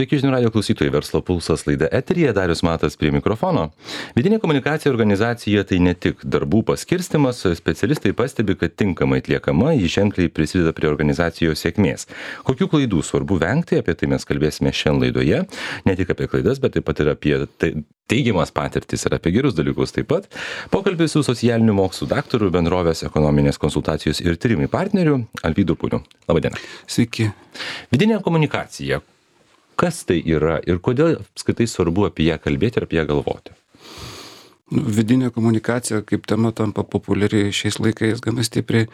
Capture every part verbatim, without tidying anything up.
Sveiki, žinių radio klausytojai, Verslo pulsas laida eteryje, Darius Matas prie mikrofono. Vidinė komunikacija organizacijoje tai ne tik darbų paskirstimas, specialistai pastebi, kad tinkamai atliekama, ji ženkliai prisideda prie organizacijos sėkmės. Kokių klaidų svarbu vengti, apie tai mes kalbėsime šiandien laidoje, ne tik apie klaidas, bet taip pat ir apie teigiamas patirtis ir apie gerus dalykus taip pat. Pokalbis su socialinių mokslų daktaru, bendrovės ekonominės konsultacijos ir tyrimai partneriu Alvydu Puniu. Labadiena. Sveiki. Vidinė komunikacija. Kas tai yra ir kodėl apskritai svarbu apie ją kalbėti ir apie ją galvoti? Nu, vidinė komunikacija kaip tema tampa populiari šiais laikais gana stipriai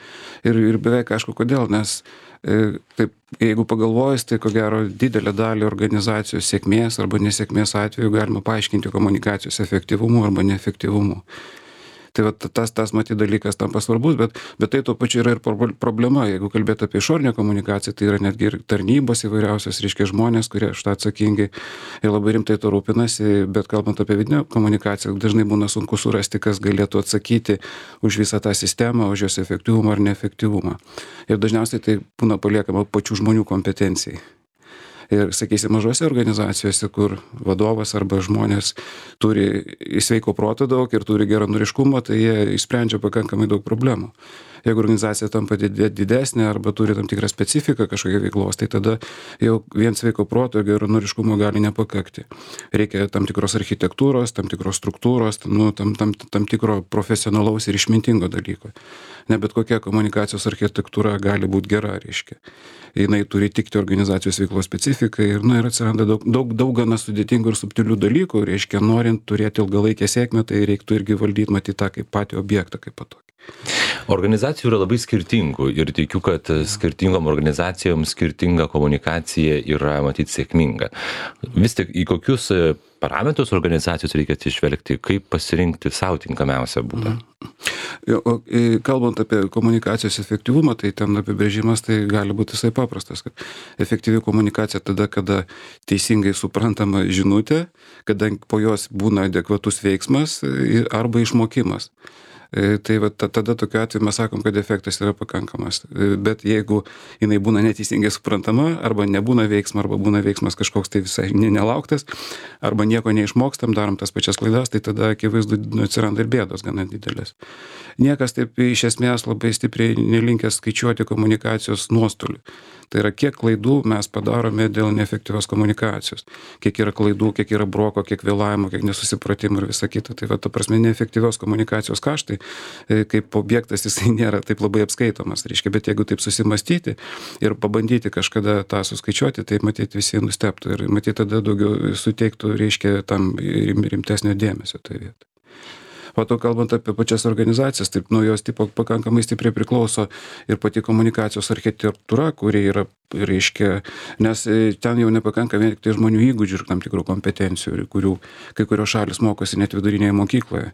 ir, ir beveik aišku kodėl, nes e, taip, jeigu pagalvojus, tai ko gero didelę dalį organizacijos sėkmės arba nesėkmės atveju galima paaiškinti komunikacijos efektyvumu arba neefektyvumu. Tai va, tas, tas matyti dalykas tampa svarbus, bet, bet tai tuo pačiu yra ir problema. Jeigu kalbėti apie išorinę komunikaciją, tai yra netgi ir tarnybos įvairiausios, reiškia žmonės, kurie šitą atsakingi ir labai rimtai to rūpinasi, bet kalbant apie vidinę komunikaciją, dažnai būna sunku surasti, kas galėtų atsakyti už visą tą sistemą, už jos efektyvumą ar neefektyvumą. Ir dažniausiai tai būna paliekama pačių žmonių kompetencijai. Ir, sakysim, mažose organizacijose, kur vadovas arba žmonės turi sveiko proto daug ir turi geranoriškumą, tai jie išsprendžia pakankamai daug problemų. Jeigu organizacija tampa didesnė arba turi tam tikrą specifiką kažkokią veiklos, tai tada jau vien sveiko proto ir geranoriškumo gali nepakakti. Reikia tam tikros architektūros, tam tikros struktūros, nu, tam, tam, tam tikro profesionalaus ir išmintingo dalyko. Ne bet kokia komunikacijos architektūra gali būti gera, reiškia. Jinai turi tikti organizacijos veiklos specifikai ir, na, ir atsiranda daug, daug, daug gana sudėtingų ir subtilių dalykų, reiškia, norint turėti ilgalaikę sėkmę, tai reiktų irgi valdyti, matyti tą kaip patį objektą, kaip patokį. Organizacijų yra labai skirtingų ir tikiu, kad skirtingom organizacijom skirtinga komunikacija yra matyti sėkminga. Vis tik į kokius parametrus organizacijos reikia atsižvelgti, kaip pasirinkti savo tinkamiausią būdą? O kalbant apie komunikacijos efektyvumą, tai ten apibrėžimas tai gali būti visai paprastas, kad efektyvi komunikacija tada, kada teisingai suprantama žinutė, kada po jos būna adekvatus veiksmas arba išmokimas. Tai va, tada tokiu atveju mes sakom, kad efektas yra pakankamas. Bet jeigu jinai būna neteisingai suprantama, arba nebūna veiksmo, arba būna veiksmas kažkoks tai visai nelauktas, arba nieko neišmokstam, darom tas pačias klaidas, tai tada akivaizdu atsiranda ir bėdos gana didelės. Niekas taip iš esmės labai stipriai nelinkęs skaičiuoti komunikacijos nuostolių. Tai yra, kiek klaidų mes padarome dėl neefektyvios komunikacijos. Kiek yra klaidų, kiek yra broko, kiek vėlavimo, kiek nesusipratimų ir visa kita. Tai va, ta prasme, neefektyvios komunikacijos kaštai, kaip objektas, jisai nėra taip labai apskaitomas. Reiškia, bet jeigu taip susimastyti ir pabandyti kažkada tą suskaičiuoti, tai matyti visi nustebtų ir matyti tada daugiau suteiktų, reiškia, tam rimtesnio dėmesio toje vietoje. O to kalbant apie pačias organizacijas, taip nuo jos tipo pakankamai stipriai priklauso ir pati komunikacijos architektūra, kuri yra, reiškia, nes ten jau nepakanka vien tik tai žmonių įgūdžių ir tam tikrų kompetencijų, kurių kai kurios šalis mokosi net vidurinėje mokykloje.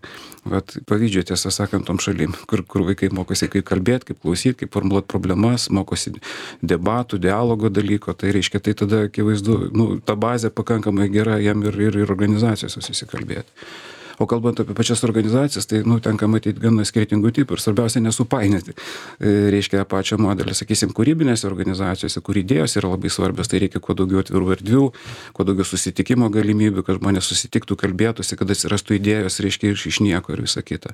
Vat pavyzdžiui, tiesą sakant, tom šalim, kur, kur vaikai mokosi kaip kalbėti, kaip klausyti, kaip formuluoti problemas, mokosi debatų, dialogo dalyko, tai reiškia, tai tada akivaizdu, nu, ta bazė pakankamai gera jam ir, ir, ir organizacijos susikalbėti. O kalbant apie pačias organizacijas, tai, nu, tenka matyti gana skirtingų tipų ir svarbiausia nesupainioti, reiškia, pačio modelį. Sakysim, kūrybinėse organizacijose, kur idėjos yra labai svarbios, tai reikia kuo daugiau atvirų erdvių, kuo daugiau susitikimo galimybių, kad žmonės susitiktų, kalbėtųsi, kad atsirastų idėjos, reiškia, iš, iš nieko ir visa kita.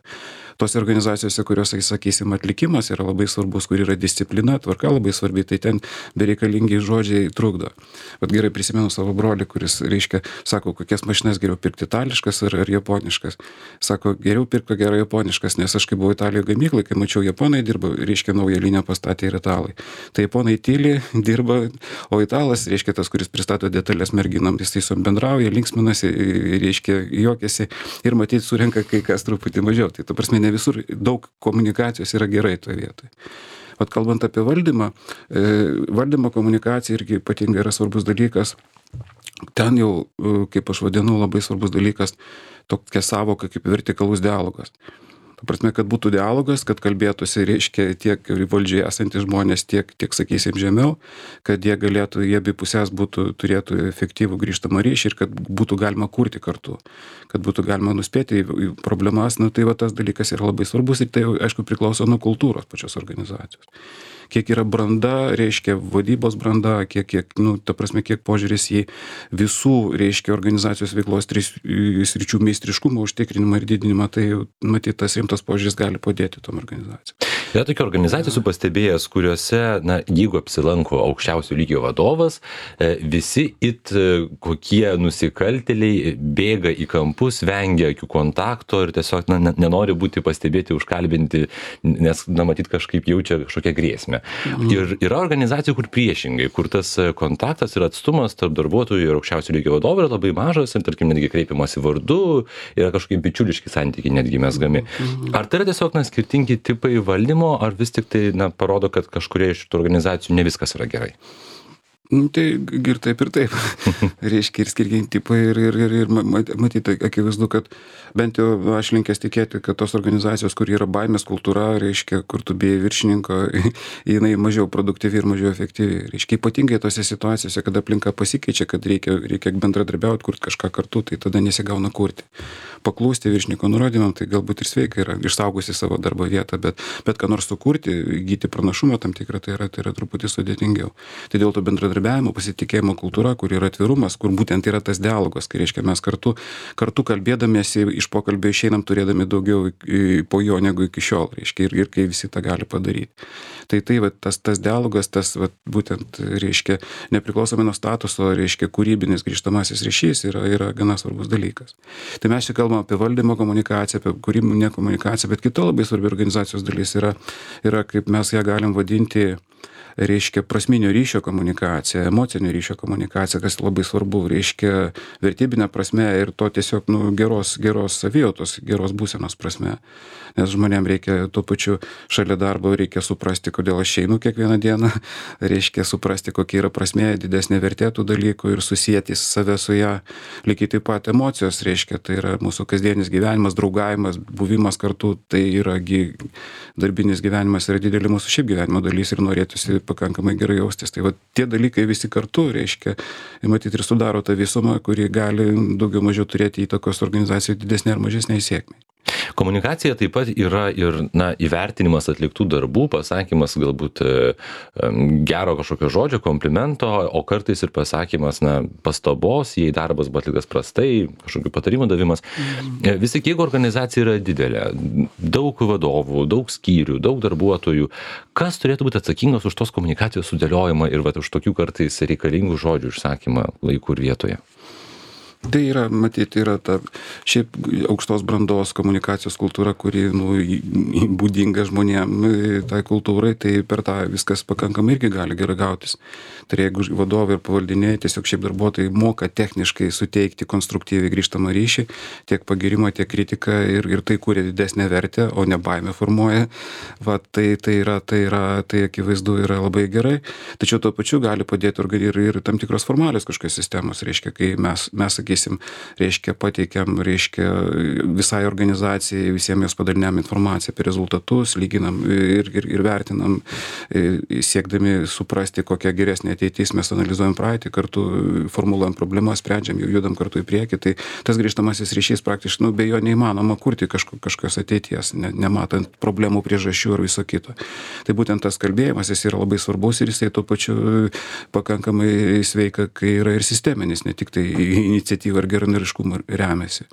Tos organizacijose, kurios, sakysim, atlikimas yra labai svarbus, kur yra disciplina, tvarka labai svarbi, tai ten bereikalingi žodžiai trukdo. Bet gerai prisimenu savo brolį, kuris, reiškia, sako, kokias mašinas geriau pirkti, itališkas ar, ar japoniškas. Sako, geriau pirko gerai japoniškas, nes aš kai buvau Italijoje gamyklai, kai mačiau japonai dirba, reiškia, naują liniją pastatė ir italai. Tai japonai tyli, dirba, o italas, reiškia, tas, kuris pristato detalės merginam, jis tai bendrauja, linksminasi, reiškia, juokiasi ir matyti surenka kai kas truputį mažiau. Tai ta prasme, ne visur daug komunikacijos yra gerai toje vietoje. Vat kalbant apie valdymą, valdymo komunikacija irgi ypatingai yra svarbus dalykas. Ten jau, kaip aš vadinu, labai svarbus dalykas tokia savoka kaip vertikalus dialogas. Ta prasme, kad būtų dialogas, kad kalbėtųsi, reiškia, tiek valdžiai esantys žmonės, tiek, tiek sakysim, žemiau, kad jie galėtų, jie abi pusės būtų, turėtų efektyvų grįžtamą ryšį ir kad būtų galima kurti kartu, kad būtų galima nuspėti į problemas. Nu, tai va tas dalykas yra labai svarbus ir tai, aišku, priklauso nuo kultūros pačios organizacijos. Kiek yra branda, reiškia vadybos branda, kiek, kiek, nu, ta prasme, kiek požiūris į visų, reiškia, organizacijos veiklos tris sričių meistriškumo užtikrinimą ir didinimą, tai matyt, tas rimtas požiūris gali padėti tom organizacijom. Yra tokių organizacijų su pastebėjęs, kuriuose, na, jeigu apsilanko aukščiausio lygio vadovas, visi it kokie nusikaltėliai bėga į kampus, vengia akių kontakto ir tiesiog, na, nenori būti pastebėti, užkalbinti, nes, na, matyt, kažkaip jaučia kažkokią grėsmę. Mhm. Ir yra organizacijų, kur priešingai, kur tas kontaktas ir atstumas tarp darbuotojų ir aukščiausio lygio vadovų yra labai mažas ir, tarkim, netgi kreipiamasi vardu, yra kažkokie bičiuliški santykiai netgi mesgami. Mhm. Ar tai yra tiesiog, na, skirtingi tipai valdymo, ar vis tik tai, na, parodo, kad kažkurie iš tų organizacijų ne viskas yra gerai? Tai ir taip ir taip. Reiškia ir skirtingi tipai ir, ir, ir, ir matyti, akivaizdu, kad bent jau aš linkęs tikėti, kad tos organizacijos, kur yra baimės kultūra, reiškia, kur tu bijai viršininko, jinai mažiau produktyvi ir mažiau efektyvi. Reiškia, ypatingai tose situacijose, kada aplinka pasikeičia, kad reikia, reikia bendradarbiauti, kurti kažką kartu, tai tada nesigauna kurti. Paklūsti viršininko nurodymam, tai galbūt ir sveika yra, išsaugosi savo darbo vietą, bet, bet ką nors sukurti, įgyti pranašumą tam tikrą, tai yra, tai yra truputį sudėtingiau. Tai dėl to bendradarbiavimo, pasitikėjimo kultūra, kur yra atvirumas, kur būtent yra tas dialogas, kai reiškia mes kartu, kartu kalbėdamiesi iš pokalbio išeinam turėdami daugiau po jo negu iki šiol, reiškia, ir, ir kai visi tą gali padaryti. Tai tai va, tas, tas dialogas, tas va, būtent, reiškia, nepriklausomai nuo statuso, reiškia, kūrybinis grįžtamasis ryšys yra, yra gana svarbus dalykas. Tai mes čia kalbame apie valdymo komunikaciją, apie kūrybinę komunikaciją, bet kita labai svarbi organizacijos dalis yra, yra, kaip mes ją galim vadinti, reiškia, prasminio ryšio komunikacija, emocinio ryšio komunikacija, kas labai svarbu, reiškia, vertybinė prasme ir to tiesiog, nu, geros, geros savijautos, geros būsenos prasme. Nes žmonėm reikia tuo pačiu šalia darbo, reikia suprasti, kodėl aš einu kiekvieną dieną, reiškia suprasti, kokia yra prasmė, didesnė vertė tų dalykų ir susijęti save su ją. Lygiai taip pat emocijos, reiškia, tai yra mūsų kasdienis gyvenimas, draugavimas, buvimas kartu, tai yra darbinis gyvenimas, yra didelė mūsų šiaip gyvenimo dalis ir norėtųsi pakankamai gerai jaustis. Tai va, tie dalykai visi kartu, reiškia, matyti ir sudaro tą visumą, kuri gali daugiau mažiau turėti įtakos organizacijai didesnė ar mažesnė sėkmė. Komunikacija taip pat yra ir, na, įvertinimas atliktų darbų, pasakymas galbūt gero kažkokio žodžio, komplimento, o kartais ir pasakymas, na, pastabos, jei darbas buvo atliktas prastai, kažkokių patarimų davimas. Mhm. Vis tik, jeigu organizacija yra didelė, daug vadovų, daug skyrių, daug darbuotojų, kas turėtų būti atsakingas už tos komunikacijos sudėliojimą ir va, už tokių kartais reikalingų žodžių išsakymą laiku ir vietoje? Tai yra, matyti, yra ta šiaip aukštos brandos komunikacijos kultūra, kuri, nu, būdinga žmonėm, tai kultūrai, tai per tą viskas pakankamai irgi gali gerai gautis. Tai jeigu vadovai ir pavaldiniai, tiesiog šiaip darbuotojai moka techniškai suteikti konstruktyviai grįžtamą ryšį, tiek pagirimą, tiek kritiką ir, ir tai kūrė didesnę vertę, o ne baimę formuoja, va, tai, tai, yra, tai, yra, tai akivaizdu yra labai gerai. Tačiau tuo pačiu gali padėti ir, ir tam tikros formalios kažkokios sistemos, reiškia, kai mes, mes sakysim, reiškia, pateikiam, reiškia, visai organizacijai, visiems jos padaliniam informaciją apie rezultatus, lyginam ir, ir, ir vertinam, siekdami suprasti, kokia geresnė ateitis, mes analizuojam praeitį, kartu formuluojam problemas, sprendžiam, jau judam kartu į priekį, tai tas grįžtamasis ryšys praktiškai, nu, be jo neįmanoma kurti kažko, kažkokios ateities, ne, nematant problemų, priežasčių ir viso kito. Tai būtent tas kalbėjimas, jis yra labai svarbus ir jisai tuo pačiu pakankamai sveika, kai yra ir sisteminis, ne tik tai iniciatyva ir geranoriškumu remiasi.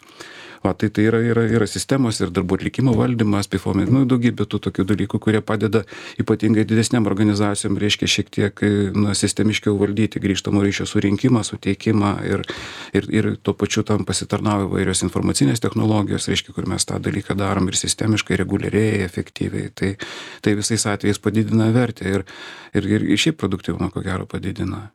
Va, tai tai yra, yra, yra sistemos ir darbų atlikimo valdymas, pifomai, nu, daugybė tų tokių dalykų, kurie padeda ypatingai didesniam organizacijom, reiškia, šiek tiek, na, sistemiškiau valdyti grįžtamo ryšio surinkimą, suteikimą ir, ir, ir tuo pačiu tam pasitarnauja įvairios informacinės technologijos, reiškia, kur mes tą dalyką darom ir sistemiškai, reguliariai, efektyviai. Tai, tai visais atvejais padidina vertę ir, ir, ir šiaip produktyvumą, ko gero, padidina.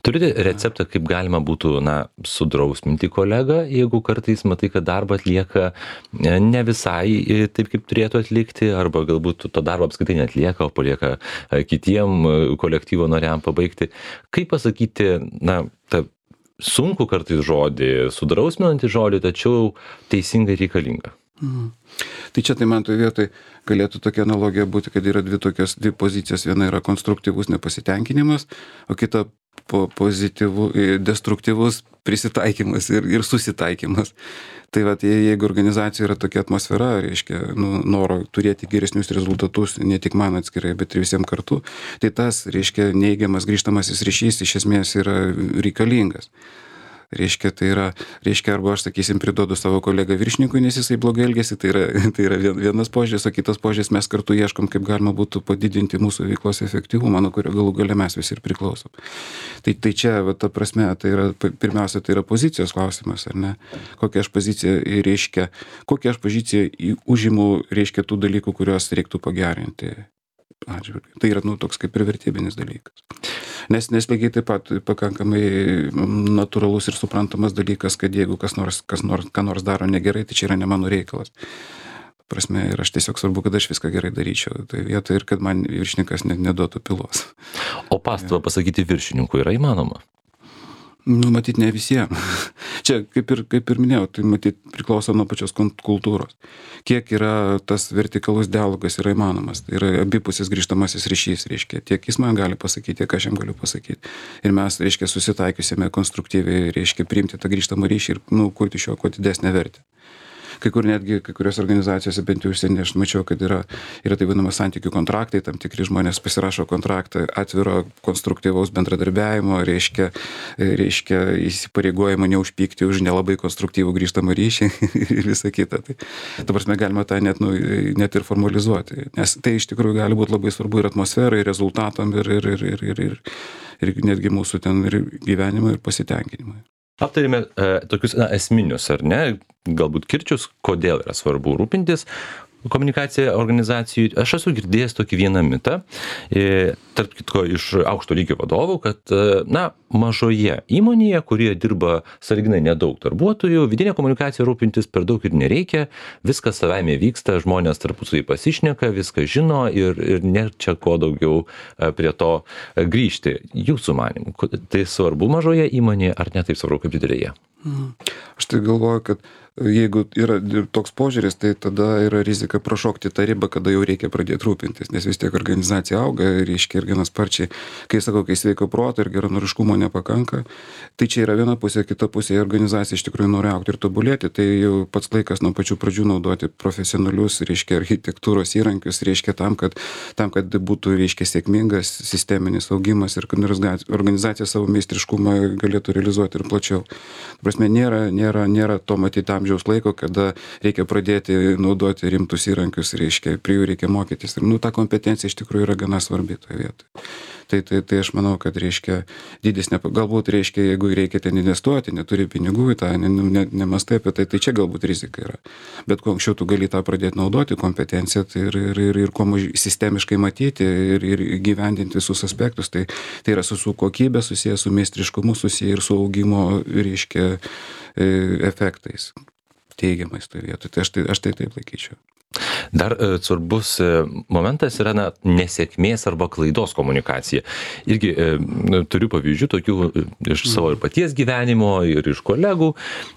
Turite receptą, kaip galima būtų, na, sudrausminti kolegą, jeigu kartais matai, kad darbą atlieka ne visai taip, kaip turėtų atlikti, arba galbūt to darbo apskritai neatlieka, o palieka kitiem kolektyvo nariam pabaigti. Kaip pasakyti, na, tą sunku kartais žodį, sudrausminantį žodį, tačiau teisingai reikalinga? Mhm. Tai čia tai man toje vietoje galėtų tokia analogija būti, kad yra dvi tokios, dvi pozicijos. Viena yra konstruktyvus nepasitenkinimas, o kita po, pozityvų, destruktyvus prisitaikymas ir, ir susitaikymas. Tai vat, jeigu organizacija yra tokia atmosfera, reiškia, nu, noro turėti geresnius rezultatus, ne tik man atskirai, bet ir visiems kartu, tai tas, reiškia, neigiamas grįžtamasis ryšys iš esmės yra reikalingas. Reiškia, tai yra, reiškia, arba aš, sakysim, priduodu savo kolegą viršininkui, nes jisai blogai elgesi, tai yra, tai yra vienas požiūris, o kitas požiūris, mes kartu ieškom, kaip galima būtų padidinti mūsų veiklos efektyvumą, nuo kurio galų gale mes visi ir priklausom. Tai, tai čia, va, ta prasme, tai yra, pirmiausia, tai yra pozicijos klausimas, ar ne? Kokią aš poziciją, reiškia, kokią aš poziciją užimu, reiškia, tų dalykų, kuriuos reiktų pagerinti atžvilgiu. Tai yra, nu, toks kaip ir vertybinis dalykas. Nes, nes lygiai taip pat pakankamai natūralus ir suprantamas dalykas, kad jeigu kas nors, kas nors, ką nors daro negerai, tai čia yra ne mano reikalas. Prasme, ir aš tiesiog svarbu, kad aš viską gerai daryčiau. Tai vietoj ir kad man viršininkas neduotų pilos. O pastabą pasakyti viršininkui yra įmanoma? Nu, matyt, ne visiems. Čia, kaip ir, kaip ir minėjau, tai matyt priklauso nuo pačios kultūros. Kiek yra tas vertikalus dialogas yra įmanomas. Tai yra abipusis grįžtamasis ryšys, reiškia. Tiek jis man gali pasakyti, tiek aš jam galiu pasakyti. Ir mes, reiškia, susitaikysime konstruktyviai, reiškia, priimti tą grįžtamą ryšį ir, nu, kurti šio kuo didesnę vertę. Kai kur netgi, kai kurios organizacijose, bent jau užsienį, aš mačiau, kad yra, yra tai vadinama santykių kontraktai, tam tikri žmonės pasirašo kontraktą atviro konstruktyvaus bendradarbiavimo, reiškia, reiškia įsipareigojimą neužpykti už nelabai konstruktyvų grįžtamą ryšį ir visą kitą. Tai, ta prasme, galima tą net, nu, net ir formalizuoti, nes tai iš tikrųjų gali būti labai svarbu ir atmosferai, ir rezultatam, ir, ir, ir, ir, ir, ir, ir netgi mūsų ten ir gyvenimui, ir pasitenkinimui. Aptarėme e, tokius na, esminius, ar ne, galbūt kirčius, kodėl yra svarbu rūpintis komunikacija organizacijų. Aš esu girdėjęs tokį vieną mitą, e, tarp kitko iš aukšto lygio vadovų, kad, e, na, mažoje įmonėje, kurioje dirba sąlyginai nedaug darbuotojų, vidinė komunikacija rūpintis per daug ir nereikia, viskas savaime vyksta, žmonės tarpusavy pasišneka, viską žino ir, ir nėra čia ko daugiau e, prie to e, grįžti. Jūsų manimu, tai svarbu mažoje įmonėje ar ne taip svarbu kaip didelėje? Aš tai galvoju, kad jeigu yra toks požiūris, tai tada yra rizika prašokti tą ribą, kada jau reikia pradėti rūpintis, nes vis tiek organizacija auga, reiškia ir gana sparčiai, kai sakau, kai sveiko proto ir geranoriškumo nepakanka, tai čia yra viena pusė, kita pusė, organizacija iš tikrųjų nori augti ir tobulėti, tai jau pats laikas nuo pačių pradžių naudoti profesionalius, reiškia, architektūros įrankius, reiškia, tam, kad, tam, kad būtų, reiškia, sėkmingas sisteminis augimas ir kad organizacija savo meistriškumą galėtų realizuoti ir plačiau. Prasme, nėra, nėra, nėra to matyti amžiaus laiko, kada reikia pradėti naudoti rimtus įrankius, reiškia, prie jų reikia mokytis. Ir, nu, ta kompetencija iš tikrųjų yra gana svarbi toje vietoje. Tai, tai, tai aš manau, kad, reiškia, dydis, ne, galbūt, reiškia, jeigu reikia ten investuoti, neturi pinigų į tą, ne, ne, nemastai apie tai, tai čia galbūt rizika yra. Bet kuo anksčiau tu gali tą pradėti naudoti, kompetenciją, tai ir, ir, ir, ir kuo mažiau sistemiškai matyti ir, ir gyvendinti visus aspektus, tai, tai yra su, su kokybė susiję, su meistriškumu susiję ir su augimo, reiškia, efektais teigiamais toje vietoje. Tai aš tai, aš tai taip laikyčiau. Dar e, svarbus e, momentas yra na, nesėkmės arba klaidos komunikacija. Irgi e, turiu pavyzdžių tokių e, iš savo ir paties gyvenimo, ir iš kolegų,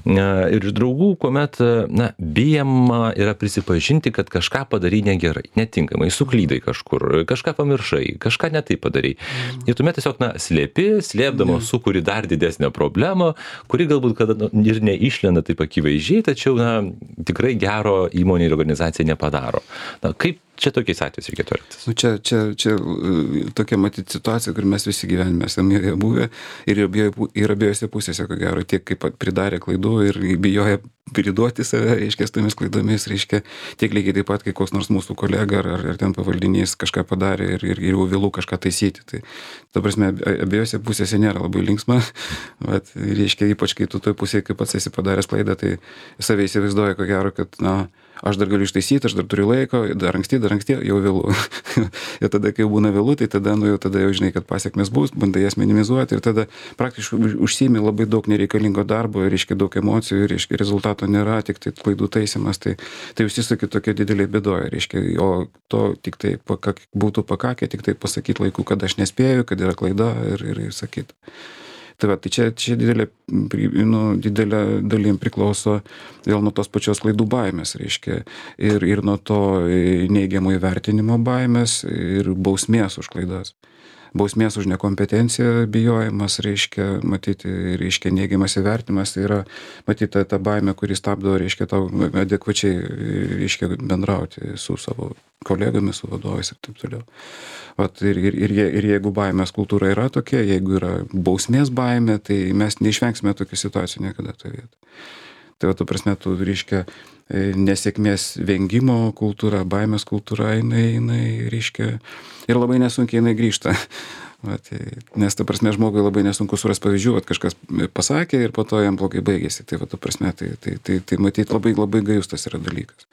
e, ir iš draugų, kuomet e, na, bijama yra prisipažinti, kad kažką padarai negerai, netinkamai, suklydai kažkur, kažką pamiršai, kažką ne taip padarai. Ir tuomet tiesiog na, slėpi, slėpdama sukuri dar didesnę problemą, kuri galbūt kada nu, ir neišlenda taip akivaizdžiai, tačiau na, tikrai gero įmonė ir organizacija nepadaro. Na, kaip čia tokiais atvejais reikėtų elgtis? Nu, čia, čia, čia tokia matyti situacija, kur mes visi gyvenime esame joje buvę ir, ir abiejose pusėse, ko gero, tiek kaip pridarė klaidų ir bijoja priduoti save, reiškia, su tomis klaidomis, reiškia, tiek lygiai taip pat, kai koks nors mūsų kolega ar, ar ten pavaldinys kažką padarė ir, ir, ir jau vėlų kažką taisyti. Tai, ta prasme, abiejose pusėse nėra labai linksma, bet, reiškia, ypač kai tu toj pusėje, kaip pats esi padaręs klaidą, tai save įsivaizduoja, ko gero, kad, na, aš dar galiu ištaisyti, aš dar turiu laiko, dar anksti, dar anksti, jau vėlų. Ir tada, kai jau būna vėlų, tai tada, nu, jau tada jau žinai, kad pasiekmes bus, bandai jas minimizuoti ir tada praktiškai užsiimi labai daug nereikalingo darbo, reiškia daug emocijų, reiškia rezultato nėra, tik tai klaidų taisimas, tai, tai užsisaki tokia didelė bėdoja, reiškia, o to tik tai pakak, būtų pakakę, tik tai pasakyti laiku, kad aš nespėju, kad yra klaida ir, ir, ir sakyti. Tai va, tai čia, čia didelė, nu, didelė dalim priklauso vėl nuo tos pačios klaidų baimės, reiškia, ir, ir nuo to neigiamo įvertinimo baimės ir bausmės už klaidas. Bausmės už nekompetenciją bijojimas, reiškia, matyti, reiškia, neigiamas įvertimas, tai yra, matyti, ta, ta baimė, kuri stabdo, reiškia, tau adekvačiai, reiškia, bendrauti su savo kolegomis, su vadovais ir taip toliau. Vat, ir, ir, ir, ir jeigu baimės kultūra yra tokia, jeigu yra bausmės baimė, tai mes neišvengsime tokių situacijų niekada toje vietoje. Tai va, tu prasme, tu, reiškia, nesėkmės vengimo kultūra, baimės kultūra, jinai, jinai, reiškia, ir labai nesunkiai jinai grįžta. Vat, nes, ta prasme, žmogui labai nesunku suras pavyzdžių, kad kažkas pasakė ir po to jam blogai baigėsi. Tai, va, ta prasme, tai, tai, tai, tai matyt, labai, labai gajus tas yra dalykas.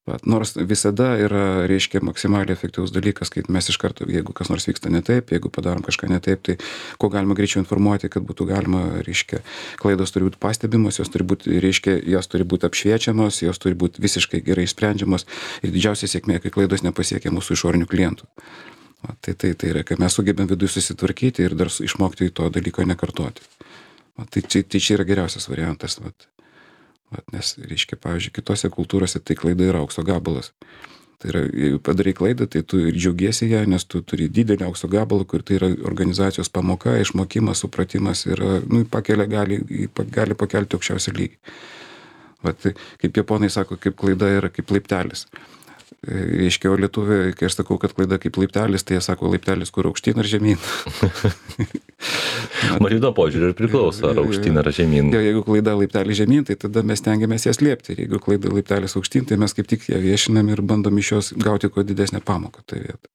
Vat, nors visada yra, reiškia, maksimaliai efektyvus dalykas, kai mes iš karto, jeigu kas nors vyksta ne taip, jeigu padarom kažką ne taip, tai kuo galima greičiau informuoti, kad būtų galima, reiškia, klaidos turi būti pastebimos, jos turi būti, reiškia, jos turi būti apšviečiamos, jos turi būti visiškai gerai sprendžiamos ir didžiausia sėkmė, kai klaidos nepasiekia mūsų išorinių klientų. Vat, tai, tai, tai yra, kai mes sugebėm viduje susitvarkyti ir dar išmokti to dalyko nekartoti. Vat, tai, čia, tai čia yra geriausias variantas. Vat. Vat, nes, reiškia, pavyzdžiui, kitose kultūrose tai klaida yra aukso gabalas. Tai yra, jeigu padarai klaidą, tai tu ir džiaugiesi ją, nes tu turi didelį aukso gabalą, kur tai yra organizacijos pamoka, išmokimas, supratimas ir, nu, pakelia, gali, gali pakelti aukščiausią lygį. Vat, kaip japonai sako, kaip klaida yra kaip laiptelis. Reiškia, o lietuviai, kai aš sakau, kad klaida kaip laiptelis, tai jie sako laiptelis, kur aukštyn ar žemyn. Matyt, nuo požiūrį ir priklauso, ar aukštyn ar žemyn. Jo, jeigu klaida laiptelį žemyn, tai tada mes tengiamės ją slėpti. Ir jeigu klaida laiptelis aukštyn, tai mes kaip tik ją viešinam ir bandom iš jos gauti kuo didesnę pamoką. Tai vietą.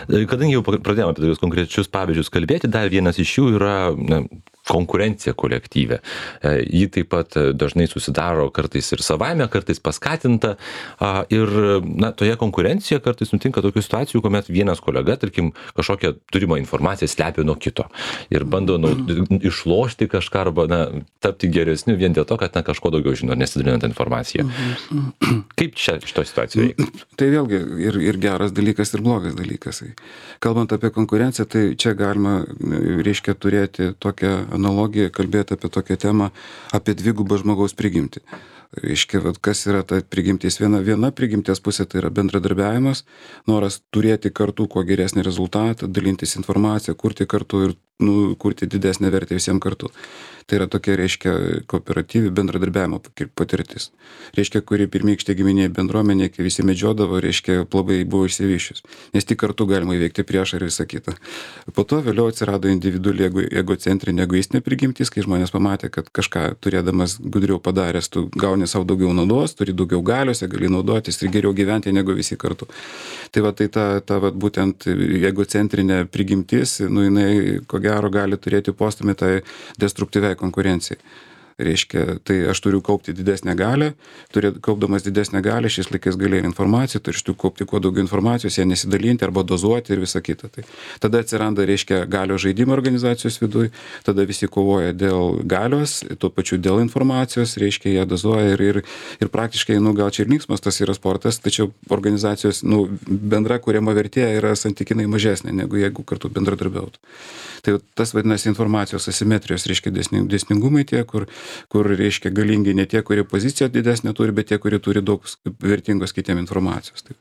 Kadangi jau pradėjome apie tokius konkrečius pavyzdžius kalbėti, dar vienas iš jų yra, na, konkurencija kolektyve. Ji taip pat dažnai susidaro kartais ir savaime, kartais paskatinta. Ir, na, toje konkurencijoje kartais nutinka tokių situacijų, kuomet vienas kolega, tarkim, kažkokią turimą informaciją slepia nuo kito ir bando nu, išlošti kažką arba, na, tapti geresniu vien dėl to, kad, na, kažko daugiau žino, nesidalinant informaciją. Kaip čia šito situacijoje veikia? Tai vėlgi ir, ir geras dalykas, ir blogas dalykas. Kalbant apie konkurenciją, tai čia galima, reiškia, turėti tokią analogiją, kalbėti apie tokią temą, apie dvigubą žmogaus prigimtį. Reiškia, vat, kas yra ta prigimtis? Viena, viena prigimties pusė tai yra bendradarbiavimas, noras turėti kartu kuo geresnį rezultatą, dalintis informaciją, kurti kartu ir, nu, kurti didesnę vertę visiems kartu. Tai yra tokia, reiškia, kooperatyvi bendradarbiavimo patirtis. Reiškia, kuri pirmykštė giminė bendruomenė, kai visi medžiodavo, reiškia, labai buvo išsivyščius. Nes tik kartu galima įveikti priešą ir visą kitą. Po to vėliau atsirado individuali egocentrinė egoistinė prigimtis, kai žmonės pamatė, kad kažką turėdamas gudriau padaręs, tu gauni savo daugiau naudos, turi daugiau galios, gali naudotis ir geriau gyventi negu visi kartu. Tai va, tai ta, ta va, būtent egocentrinė prigimtis, nu, jinai, ko gero, gali turėti postumį tai destruktyviai konkurencijai. Reiškia, tai aš turiu kaupti didesnę galę, turiu, kaupdamas didesnę galę, šiais laikais galėjai informaciją, tai aš turiu kaupti kuo daugiau informacijos, ją nesidalinti arba dozuoti ir visą kitą. Tai tada atsiranda, reiškia, galios žaidimo organizacijos viduje, tada visi kovoja dėl galios, tuo pačiu dėl informacijos, reiškia, ją dozuoja ir, ir, ir praktiškai, nu, gal čia ir linksmas tas yra sportas, tačiau organizacijos, nu, bendra kuriama vertė yra santykinai mažesnė, negu jeigu kartu bendradarbiautų. Tai tas vadinasi informacijos asimetrijos, reiškia, dėsningumai tie, kur kur, reiškia, galingi ne tie, kurie poziciją didesnę turi, bet tie, kurie turi daug vertingos kitiem informacijos. Tai,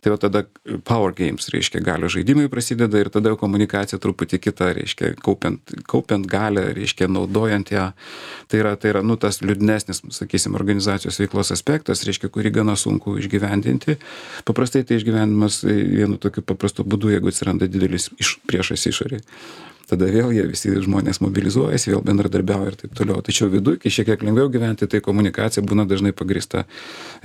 tai va tada power games, reiškia, galios žaidimai prasideda ir tada komunikacija truputį kita, reiškia, kaupiant, kaupiant galę, reiškia, naudojant ją. Tai yra, tai yra, nu, tas liūdnesnis, sakysim, organizacijos veiklos aspektas, reiškia, kurį gana sunku išgyvendinti. Paprastai tai išgyvenimas vienu tokiu paprastu būdu, jeigu atsiranda didelis iš, priešas išorėje. Tada vėl jie visi žmonės mobilizuojasi, vėl bendradarbiauja ir taip toliau. Tačiau viduje, kai šiek tiek lengviau gyventi, tai komunikacija būna dažnai pagrįsta,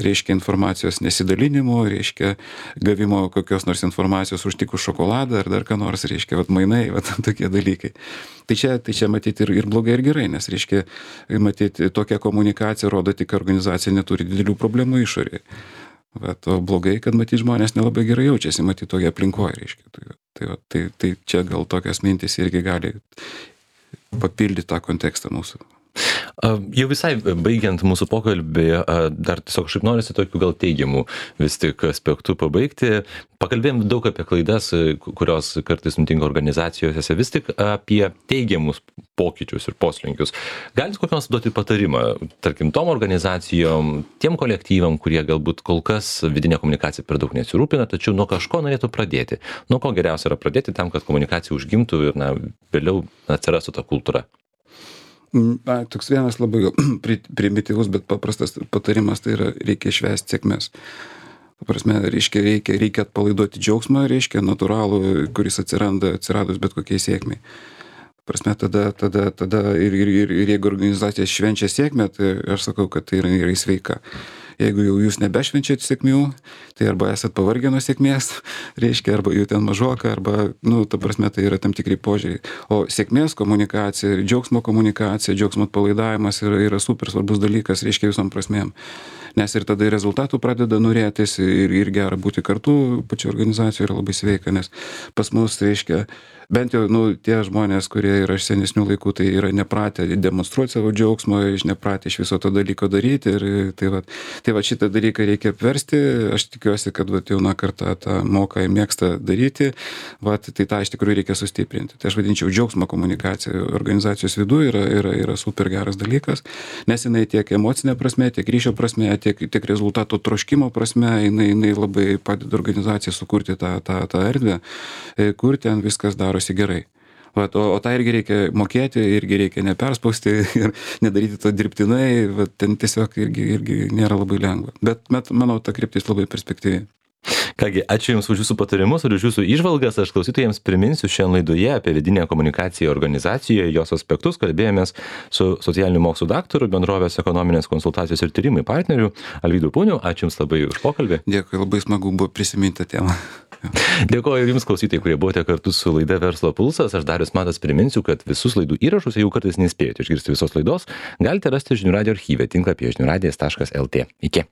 reiškia, informacijos nesidalinimu, reiškia, gavimo kokios nors informacijos už tik už šokoladą ar dar ką nors, reiškia, vat mainai, vat tokie dalykai. Tai čia, tai čia matyti ir, ir blogai, ir gerai, nes, reiškia, matyti, tokia komunikacija rodo tik, kad organizacija neturi didelių problemų išorėje. Bet o blogai, kad matyti žmonės nelabai gerai jaučiasi, matyti toje aplinkoje, reiškia. Tai, tai, tai, tai čia gal tokias mintis irgi gali papildyti tą kontekstą mūsų. Jau visai baigiant mūsų pokalbį, dar tiesiog kažkaip norisi tokių gal teigiamų vis tik aspektų pabaigti. Pakalbėjom daug apie klaidas, kurios kartais nutinka organizacijose, vis tik apie teigiamus pokyčius ir poslinkius. Galit kokį nors duoti patarimą, tarkim, tom organizacijom, tiem kolektyvam, kurie galbūt kol kas vidinė komunikacija per daug nesirūpina, tačiau nuo kažko norėtų pradėti. Nuo ko geriausia yra pradėti tam, kad komunikacija užgimtų ir na, vėliau atsirastų ta kultūra. Na, toks vienas labai primityvus, bet paprastas patarimas, tai yra reikia švęsti sėkmės. Paprasme, reiškia, reikia, reikia atpalaiduoti džiaugsmą, reiškia, natūralų, kuris atsiranda, atsiradus bet kokiai sėkmiai. Prasme, tada, tada, tada ir, ir, ir, ir jeigu organizacija švenčia sėkmę, tai aš sakau, kad tai yra, yra sveika. Jeigu jau jūs nebešvenčiat sėkmių, tai arba esat pavargę nuo sėkmės, reiškia, arba jų ten mažoka, arba, nu, ta prasme, tai yra tam tikri požiūriai. O sėkmės komunikacija, džiaugsmo komunikacija, džiaugsmo atpalaidavimas yra, yra super svarbus dalykas, reiškia, visom prasmėm. Nes ir tada rezultatų pradeda norėtis ir, ir gera būti kartu, pačio organizacijoje yra labai sveika, nes pas mus, reiškia, bent jau, nu, tie žmonės, kurie yra iš senesnių laikų, tai yra nepratę demonstruoti savo džiaugsmo, nepratę iš viso to dalyko daryti ir tai va, tai va šitą dalyką reikia apversti, aš tikiuosi, kad va, jauna karta tą moka ir mėgsta daryti, va, tai tą iš tikrųjų reikia sustiprinti. Tai aš vadinčiau džiaugsmo komunikacija organizacijos viduje yra, yra, yra super geras dalykas, nes jinai tiek emocinė prasme, tiek ryšio prasme, tiek, tiek rezultatų troškimo prasme, jinai, jinai labai padeda organizacijai sukurti tą, tą, tą erdvę, kur ten viskas darosi gerai. Vat, o, o tą irgi reikia mokėti, irgi reikia neperspausti ir nedaryti to dirbtinai, vat, ten tiesiog irgi, irgi nėra labai lengva. Bet, met, manau, ta kryptis labai perspektyvi. Kągi, ačiū Jums už Jūsų patarimus ir už Jūsų įžvalgas. Aš klausytojams priminsiu šiandien laidoje apie vidinę komunikaciją organizacijoje, jos aspektus. Kalbėjomės su socialinių mokslų daktaru, bendrovės ekonominės konsultacijos ir tyrimai partneriu Alvydu Puniu. Ačiū Jums labai už pokalbį. Dėkui, labai smagu buvo prisiminti tą temą. Dėkoju Jums, klausytojai, kurie buvote kartu su laida Verslo pulsas. Aš Darius Matas priminsiu, kad visus laidų įrašus, jeigu kartais nespėjote išgirsti visos laidos, galite rasti žinių radijo archyve tinklapyje žinių radijas taškas lt. Iki.